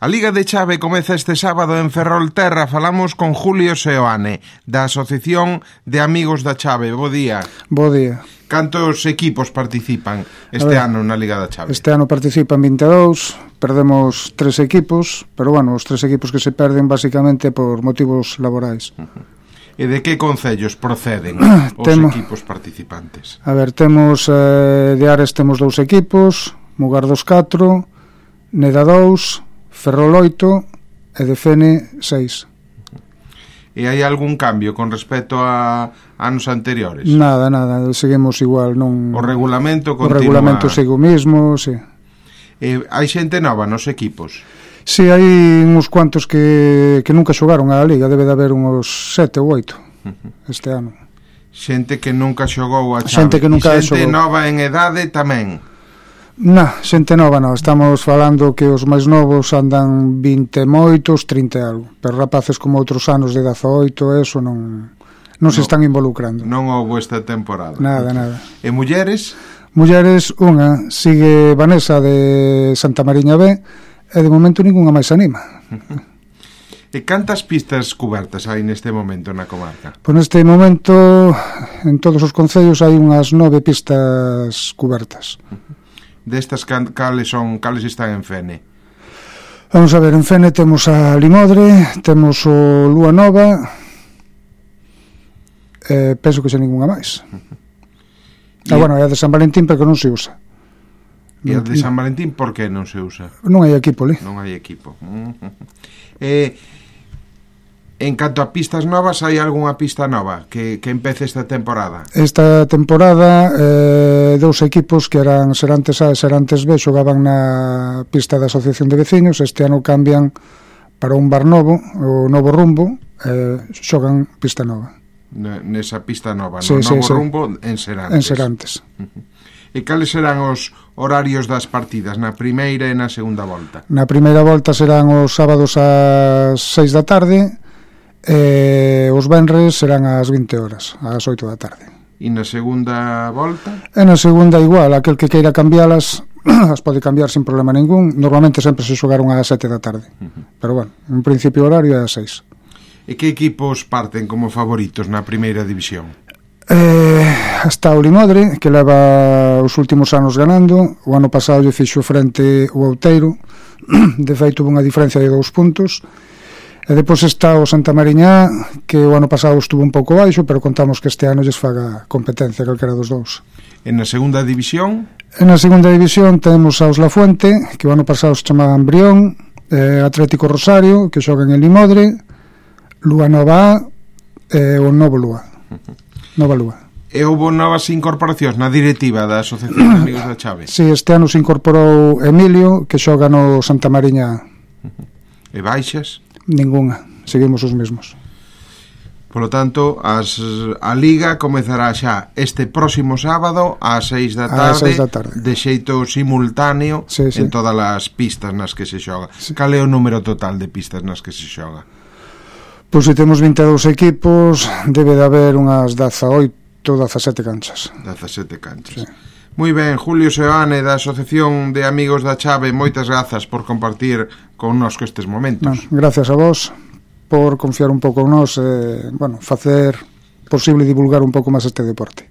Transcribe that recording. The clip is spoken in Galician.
A Liga de Chave comeza este sábado en Ferrolterra. Falamos con Julio Seoane, da Asociación de Amigos da Chave. Bo día. Bo día. Cantos equipos participan este ano na Liga da Chave? Este ano participan 22, perdemos 3 equipos, pero bueno, os 3 equipos que se perden basicamente por motivos laborais. E de que concellos proceden os equipos participantes? A ver, temos de Ares temos 2 equipos, Mugardos 4, Neda 2, Ferrol 8 e de Fene 6. E hai algún cambio con respecto a anos anteriores? Nada, seguimos igual, non. O regulamento continúa. O regulamento sigue o mismo, sí. Hai xente nova nos equipos? Sí, hai uns cuantos que nunca xogaron a Liga, debe de haber uns 7 ou 8 este ano. Xente que nunca xogou a Chave. Xente que nunca xogou. Xente nova en edade tamén? Xente nova non, estamos falando que os máis novos andan 20 moitos, 30 e algo, pero rapaces como outros anos de 18, eso non se están involucrando. Non houve esta temporada. Nada. E mulleres? Mulleres, unha, sigue Vanessa de Santa Mariña B, e de momento ningunha máis anima. E cantas pistas cubertas hai neste momento na comarca? Pois neste momento, en todos os concellos hai unhas 9 pistas cubertas. Destas cales están en Fene? Vamos a ver, en Fene temos a Limodre, temos o Lúa Nova, penso que xa ningunha máis. Bueno, é a de San Valentín, pero que non se usa. E a de San Valentín por que non se usa? Non hai equipo ali. Non hai equipo. En canto a pistas novas, hai algunha pista nova que empece esta temporada? Esta temporada 2 equipos que eran Serantes A e Serantes B xogaban na pista da Asociación de Veciños. Este ano cambian para un bar novo, o Novo Rumbo, xogan pista nova. Nesa pista nova, no Novo Rumbo, en Serantes. En Serantes. E cales serán os horarios das partidas na primeira e na segunda volta? Na primeira volta serán os sábados ás 6 da tarde e os venres serán ás 20 horas, ás 8 da tarde. E na segunda volta? E na segunda igual, aquel que queira cambialas as pode cambiar sin problema ningún. Normalmente sempre se xogaron ás 7 da tarde, pero bueno, en principio horario é ás 6. E que equipos parten como favoritos na primeira división? Está o Limodre, que leva os últimos anos ganando. O ano pasado lle fixo frente o Outeiro, de feito houve unha diferencia de 2 puntos. E depois está o Santa Mariña, que o ano pasado estuvo un pouco baixo, pero contamos que este ano lles faga competencia calquera dos dous. En na segunda división? En na segunda división temos a Os La Fuente, que o ano pasado se chamaban Brión, Atlético Rosario, que xogan en Limodre, Lúa Nova A e o Novo Lúa. Nova Lúa. E houve novas incorporacións na directiva da Asociación de Amigos da Chave? Sí, este ano se incorporou Emilio, que xoga no Santa Mariña. E baixas? Ningunha, seguimos os mesmos. Por lo tanto, a Liga comezará xa este próximo sábado ás 6 da tarde, de xeito simultáneo, en todas as pistas nas que se xoga. Cal é o número total de pistas nas que se xoga? Pois se temos 22 equipos, debe de haber unhas 18, 17 canchas. 17 canchas. Sí. Moi ben, Julio Seoane, da Asociación de Amigos da Chave, moitas grazas por compartir connosco estes momentos. Gracias a vos por confiar un pouco en nós e, facer posible divulgar un pouco máis este deporte.